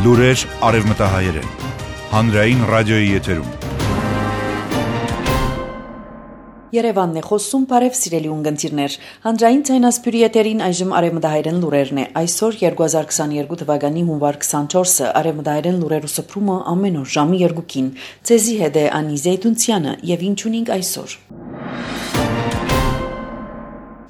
Լուրեր արևմտահայերեն, հանրային ռադիոյի եթերում։ Երևանն է խոսում, բարև սիրելի ունգընտիրներ։ Հանրային ցայնասպյուրի եթերին այժմ արևմտահայերեն լուրերն է։ Այսօր 2022 թվականի հունվար 24-ը արևմտահայերեն լուրերու սփռումը ամեն օր ժամի 2-ին։ Ցեզի հետ է Անի Զեյթունցյանը եւ ինչ ունենք այսօր։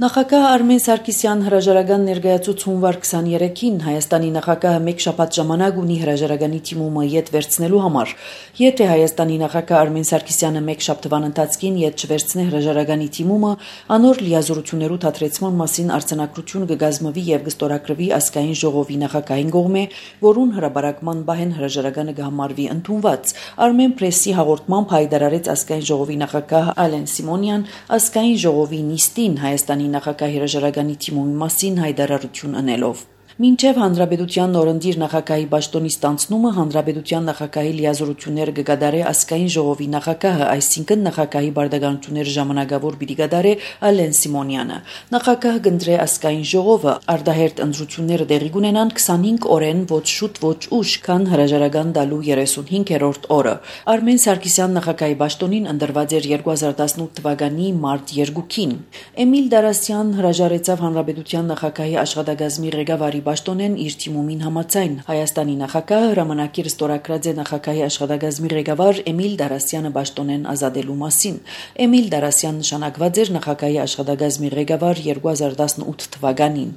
Նախագահ Արմեն Սարգսյան հրաժարական ներկայացուց հունվար 23-ին Հայաստանի նախագահը մեկ շաբաթ ժամանակ ունի հրաժարականի թիմումը յետ վերցնելու համար։ Եթե Հայաստանի նախագահ Արմեն Սարգսյանը մեկ շաբթվան ընթացքին յետ չվերցնի հրաժարականի թիմումը, անոր լիազորություններու թատրեցման մասին արձանագրություն կգազմվի եւ կստորագրվի ազգային ժողովի նախագահին կողմէ, որուն հրաբարակման բահեն հրաժարականը կհամարվի ընդունված։ Armen Press-ի հաղորդմամբ հայտարարեց ազգային ժողովի նախագահ Ալեն Սիմոնյան ազգային ժողովի նիստին Հայաստանի նախագահի հրաժարականի թիմումի մասին հայտարարություն անելով։ Մինչև Հանրապետության նորընտիր նախագահի պաշտոնի ստանձնումը Հանրապետության նախագահի լիազորությունները կգադարի ազգային ժողովի նախագահը, այսինքն նախագահի բարդականությունները ժամանակավոր պիտի գադարի Ալեն Սիմոնյանը։ Նախագահը կընտրի ազգային ժողովը, արդահերթ ընտրությունները տեղի կունենան 25 օրեն ոչ շուտ ոչ ուշ, քան հրաժարական տալու 35-րդ օրը։ Արմեն Սարգսյան նախագահի պաշտոնին ընտրված էր 2018 թվականի մարտ 2-ին։ Էմիլ Դարասյան հրաժարեցավ Հանրապետության նախագահի աշխատակազմի ղեկավարի պաշտոնեն իր թիմումին համաձայն Հայաստանի նախագահը հրամանագիր ստորագրած է նախագահի աշխատակազմի ղեկավար Էմիլ Դարասյանը պաշտոնեն ազատելու մասին։ Էմիլ Դարասյան նշանակված էր նախագահի աշխատակազմի ղեկավար 2018 թվականին։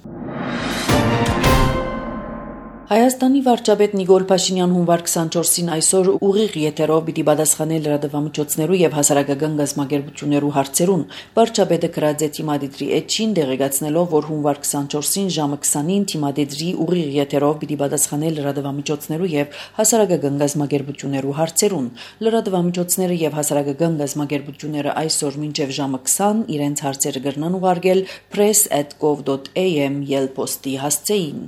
Հայաստանի վարչապետ Նիկոլ Փաշինյան հունվար 24-ին այսօր ուղիղ եթերով պիտի պատասխանի լրատվամիջոցներու եւ հասարակական գազམ་ագերբություններու հարցերուն։ Վարչապետը գրած է թիմադիդրի էջին դեղեկացնելով, որ հունվար 24-ին ժամը 20-ին թիմադիդրի ուղիղ եթերով պիտի պատասխանի լրատվամիջոցներու եւ հասարակական գազམ་ագերբություններու հարցերուն։ Լրատվամիջոցները եւ հասարակական գազམ_ագերբությունները այսօր մինչեւ ժամը 20 իրենց հարցերը կրնան ուղարկել press@gov.am ելպոստի հասցեին։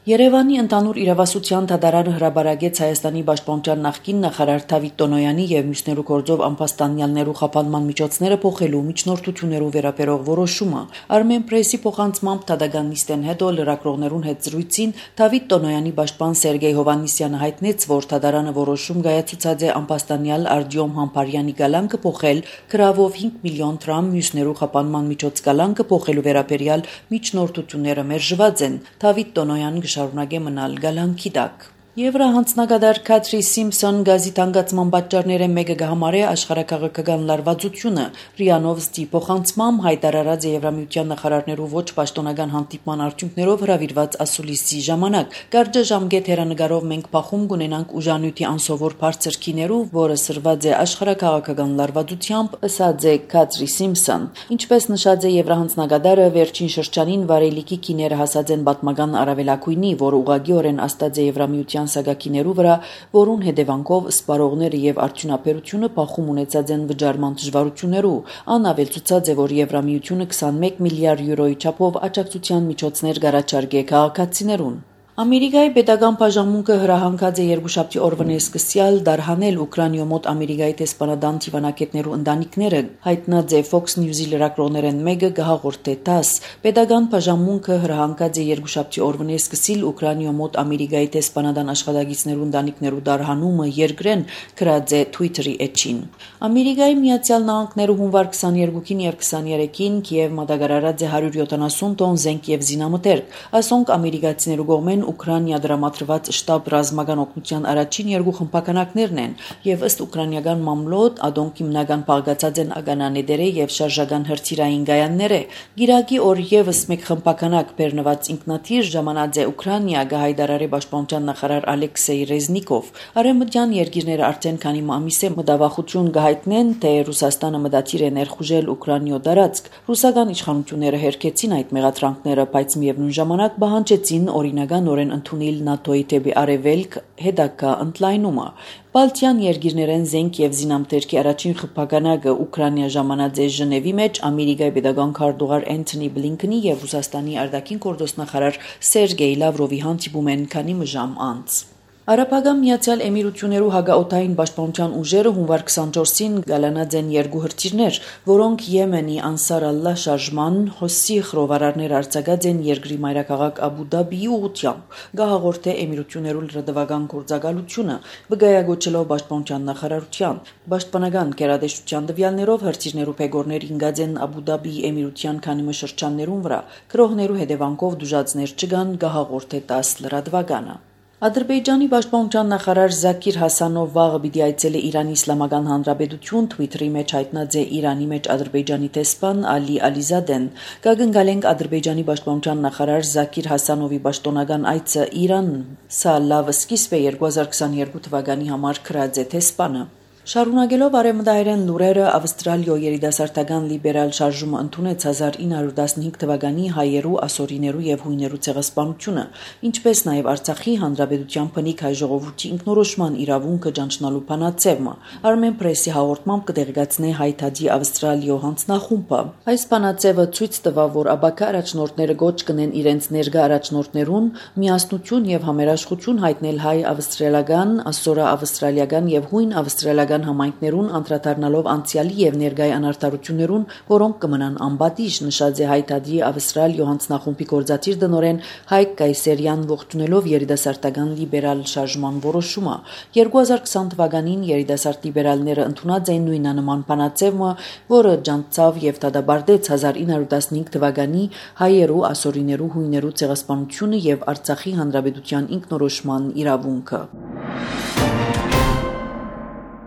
Երևանի ընդհանուր իրավասության դատարանը հրաբարակեց Հայաստանի պաշտպանության նախկին նախարար Դավիթ Տոնոյանի եւ մյուսներու գործով անպաստանյալներու խափանման միջոցները փոխելու միջնորդություններու վերաբերող որոշումը։ Armen Press-ի փոխանցմամբ դատական նիստեն հետո լրագրողներուն հետ զրույցին Դավիթ Տոնոյանի պաշտպան Սերգեյ Հովաննիսյանը հայտնեց, որ դատարանը որոշում կայացուցած է անպաստանյալ Արտյոմ Համբարյանի գալանքը փոխել գրավով 5 միլիոն դրամ մյուսներու խափանման միջոց գալանքը փոխելու վերաբերյալ միջնորդությունները մերժված են։ Դավիթ Տոնոյան շարունակե մնալ գալանքի տակ։ Եվրահանձնագետար Քաթրի Սիմփսոն գազի թանկացման պատճառները մեկը կհամարի աշխարհակաղակական լարվածությունը։ Ռիանովսի փոխանցմամբ հայտարարած է Եվրամիության նախարարներու ոչ պաշտոնական հանդիպման արդյունքներով հրավիրված ասուլիսի ժամանակ։ Կարճ ժամկետ հերանեկարով մենք փախում կունենանք ուժանյութի անսովոր բարձր քիներու, որը սրված է աշխարհակաղակական լարվածությամբ, ըսած է Քաթրի Սիմփսոն։ Ինչպես նշած է Եվրահանձնագետարը, վերջին շրջանին վարելիքի քիները հասած են պատմական առավելակույնի, որը ուղղակիորեն աստած է Եվրամիության սագակիներու վրա, որուն հետևանքով սպառողները եւ արդյունաբերությունը փախում ունեցած են վճարման դժվարություններու։ Անավել ցուցած է, որ Եվրամիությունը 21 միլիարդ յուրոյի չափով աջակցության միջոցներ կառաջարկե քաղաքացիներուն։ Ամերիկայի պետական բաժանմունքը հրահանգած է երկուշաբթի օրվան սկսյալ դարհանել Ուկրաինայ մոտ Ամերիկայի տեսփանադան դիվանագետներու ընտանիքները, հայտնած է Fox News-ի լրագրողներեն մեկը գահաղորդե տաս։ Պետական բաժանմունքը հրահանգած է երկուշաբթի օրվան սկսիլ Ուկրաինայ մոտ Ամերիկայի տեսփանադան աշխատակիցներու ընտանիքներու դարհանումը երկրեն, գրած է Twitter-ի էջին։ Ամերիկայի Միացյալ Նահանգներու հունվար 22-ին եւ 23-ին Կիև մատակարարած է 170 տոն զենք եւ զինամթերք։ Ասոնք ամերիկացիներու կողմեն Ուկրաինա դրամատրված շտաբ ռազմական օգնության առաջին երկու խմբականակներն են եւ ըստ ուկրաինական մամլոյ ադոնք հիմնական բաղկացած են ագանաներե եւ շարժական հրթիռային գայանները։ Գիրակի օր եւս մեկ խմբականակ բեռնված ինքնաթիռ ժամանած է Ուկրաինա գահայդարարի պաշտպանության նախարար Ալեքսեյ Ռեզնիկով։ Արևմտյան երկիրները արդեն քանի ամիս է մտավախություն կհայտնեն, թե Ռուսաստանը մտադիր է ներխուժել Ուկրաինայ դարածք։ Ռուսական իշխանությունները հերքեցին այդ մեղադրանքները, բայց միևնույն ժամանակ պահանջեցին օրինական ընդունել ՆԱՏՕ-ի դեպի արևելք հետագա ընդլայնումը։ Բալտյան երկիրներեն զենք եւ զինամթերքի առաջին խմբականակը Ուկրաինա ժամանած է Ժնևի մեջ Ամերիկայի պետական քարտուղար Էնթոնի Բլինքենի եւ Ռուսաստանի արտաքին գործոստնախարար Սերգեյ Լավրովի հանդիպում են քանի ժամ անց։ Արաբական Միացյալ Էմիրություններու հագաօթային պաշտպանության ուժերը հունվար 24-ին գալանած են երկու հրթիռներ, որոնք Եմենի Անսար Ալլահ շարժման Հոսսի խռովարարներ արձակած են երկրի մայրաքաղաք Աբու Դաբիի ուղղությամբ, գահաղորդե Էմիրություններու լրատվական գործակալությունը, վկայագոչելով պաշտպանության նախարարության։ Պաշտպանական գերատեսչության տվյալներով հրթիռներու փեգորներ ինգած են Աբու Դաբիի Էմիրության քանի շրջաններուն վրա, քրոհներու հետևանքով դժուժածներ չկան, գահաղորդե 10 լրատվականը։ Ադրբեջանի պաշտպանության նախարար Զաքիր Հասանով վաղը պիտի այցելի Իրանի Իսլամական Հանրապետություն, Թվիթերի մեջ հայտնած է Իրանի մեջ Ադրբեջանի տեսփան Ալի Ալիզադեն։ Կգնկալենք Ադրբեջանի պաշտպանության նախարար Զաքիր Հասանովի պաշտոնական այցը Իրան, սա լավ սկիզբ է 2022 թվականի համար քրած է տեսփանը։ Շարունակելով արևմտահայերեն լուրերը, Ավստրալիո երիտասարդական լիբերալ շարժումը ընդունեց 1915 թվականի հայերու, ասորիներու եւ հույներու ցեղասպանությունը, ինչպես նաեւ Արցախի հանրապետության բնիկ հայ ժողովրդի ինքնորոշման իրավունքը ճանչնալու բանաձևը։ Armen Press-ի հաղորդմամբ կդեղեկացնե հայտարարի Ավստրալիո հանձնախումբը։ Այս բանաձևը ցույց տվավ, որ աբակա առաջնորդները գոչ կնեն իրենց ներկա առաջնորդներուն միասնություն եւ համերաշխություն հայտնել հայ ավստրալիական, ասորա ավստրալիական եւ հույն ավստրալիական համայնքներուն անդրադառնալով անցյալի եւ ներկայ անարդարություններուն, որոնք կմնան անբատիժ, նշած է հայտարարի Ավստրալիո հանձնախումբի գործադիր տնօրեն Հայկ Կայսերյան, ողջունելով երիտասարդական լիբերալ շարժման որոշումը։ 2020 թվականին երիտասարդ լիբերալները ընդունած էին նույնանման բանաձևը, որը ջանցավ եւ դադարեցեց 1915 թվականի հայերու, ասորիներու, հույներու ցեղասպանությունը եւ Արցախի հանրապետության ինքնորոշման իրավունքը։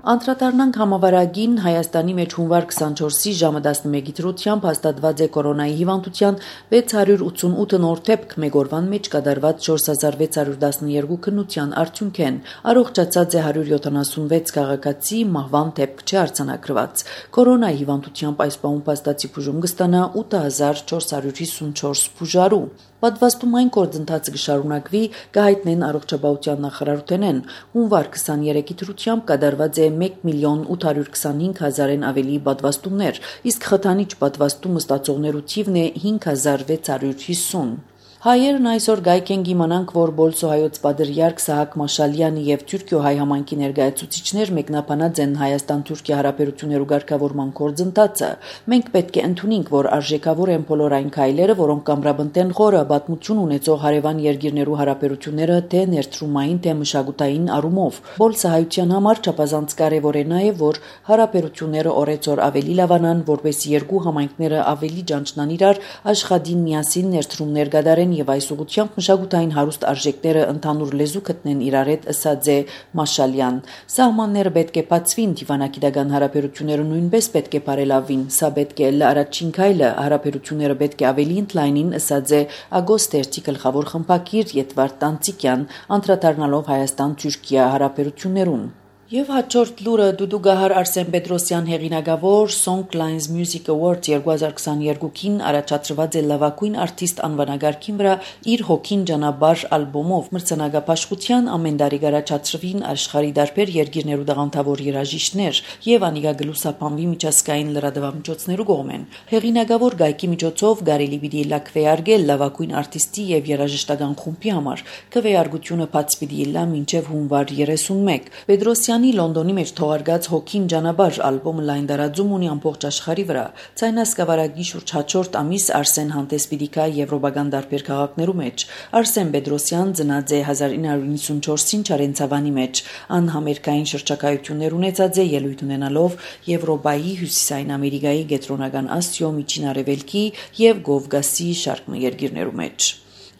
Անդրադառնանք համավարակին Հայաստանի մեջ հունվար 24-ի ժամը 11-ի դրությամբ հաստատված է կորոնայի հիվանդության 688 նոր դեպք, մեկ օրվան մեջ կատարված 4612 քննության արդյունքեն, առողջացած է 176 քաղաքացի, մահվան դեպք չի արձանագրված։ Կորոնայի հիվանդությամբ այս պահում փաստացի բուժում կստանա 8454 բուժարու։ Պատվաստումային գործընթացը կշարունակվի, կհայտնեն առողջապահության նախարարութենեն։ Հունվար 23-ի դրությամբ կատարված է 1,825,000-ն ավելի պատվաստումներ, իսկ խթանիչ պատվաստումը ստացողներու թիվն է 5650։ Հայերն այսօր գայք են գիմանանք, որ Բոլսոհայոց պատրիարք Սահակ Մաշալյանի եւ Թուրքիո հայ համայնքի ներկայացուցիչներ մեկնաբանած են Հայաստան-Թուրքիա հարաբերություններու ղեկավարման գործընթացը։ Մենք պետք է ընդունենք, որ արժեքավոր են բոլոր այն քայլերը, որոնք կամրապնդեն խորը պատմություն ունեցող հարևան երկիրներու հարաբերությունները թե ներդրումային, թե մշակութային առումով։ Բոլսոհայության համար չափազանց կարևոր է նաեւ, որ հարաբերությունները օրեցօր ավելի լավանան, որպես երկու համայնքները ավելի ճանչնան իրար, աշխատին միասին ներդրումներ կատարեն եւ այս ուղղությամբ մշակութային հարուստ արժեքները ընդհանուր լեզու գտնեն իրար հետ, ըսած է Մաշալյան։ Սահմանները պետք է բացվին, դիվանագիտական հարաբերությունները նույնպես պետք է բարելավվին, սա պետք է լը առաջին քայլը, հարաբերությունները պետք է ավելի ընդլայնին, ըսած է Ագոստերցի գլխավոր խմբագիր Եդվարդ Տանցիկյան, անդրադառնալով Հայաստան-Թուրքիա հարաբերություններուն։ Եվ հաջորդ լուրը դուդուգահար Արսեն Պետրոսյան հեղինակավոր Songlines Music Award 2022-ին առաջադրված է լավագույն արտիստ անվանակարգին վրա իր հոգին ճանապարհ ալբոմով մրցանակաբաշխության ամեն տարի առաջադրվին աշխարհի դարբեր երկիրներու դաղանթավոր երաժիշտներ եւ անիկա գլուսապանվի միջազգային լրատվամիջոցներու կողմեն։ Հեղինակավոր գայքի միջոցով կարելի պիտի լակվեարգել լավագույն արտիստի եւ երաժշտական խումբի համար։ Քվեարկությունը բաց պիտի լա մինչեւ հունվար 31։ Պետրոսյան Լոնդոնի մեջ թողարկած հոգին ճանապարհ ալբոմը լայն տարածում ունի ամբողջ աշխարհի վրա։ Ցայնասկավարակի շուրջ հաջորդ ամիս Արսեն հանդես պիտի գա եվրոպական տարբեր քաղաքներու մեջ։ Արսեն Պետրոսյան ծնած է 1994-ին Չարենցավանի մեջ։ Ան համերգային շրջակայություններ ունեցած է ելույթ ունենալով Եվրոպայի, Հյուսիսային Ամերիկայի, Կենտրոնական Ասիո, Միջին Արևելքի եւ Կովկասի շարք երկիրներու մեջ։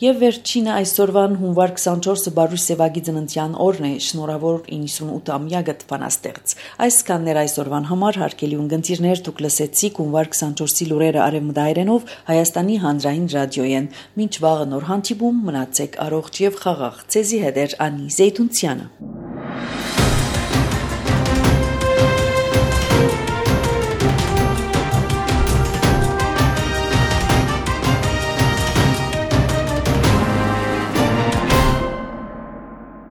Եվ վերջինը այսօրվան հունվար 24-ը Բարույ Սևագի ծննդյան օրն է, շնորհավոր 98-ամյակը տպանաստեղծ։ Այսքաններ այսօրվան համար հարգելի ունգընտիրներ, դուք լսեցիք հունվար 24-ի լուրերը արևմտահայերենով Հայաստանի հանրային ռադիոյեն։ Մինչ վաղը նոր հանդիպում, մնացեք առողջ եւ խաղաղ։ Ձեզի հետ է Անի Զեյթունցյանը։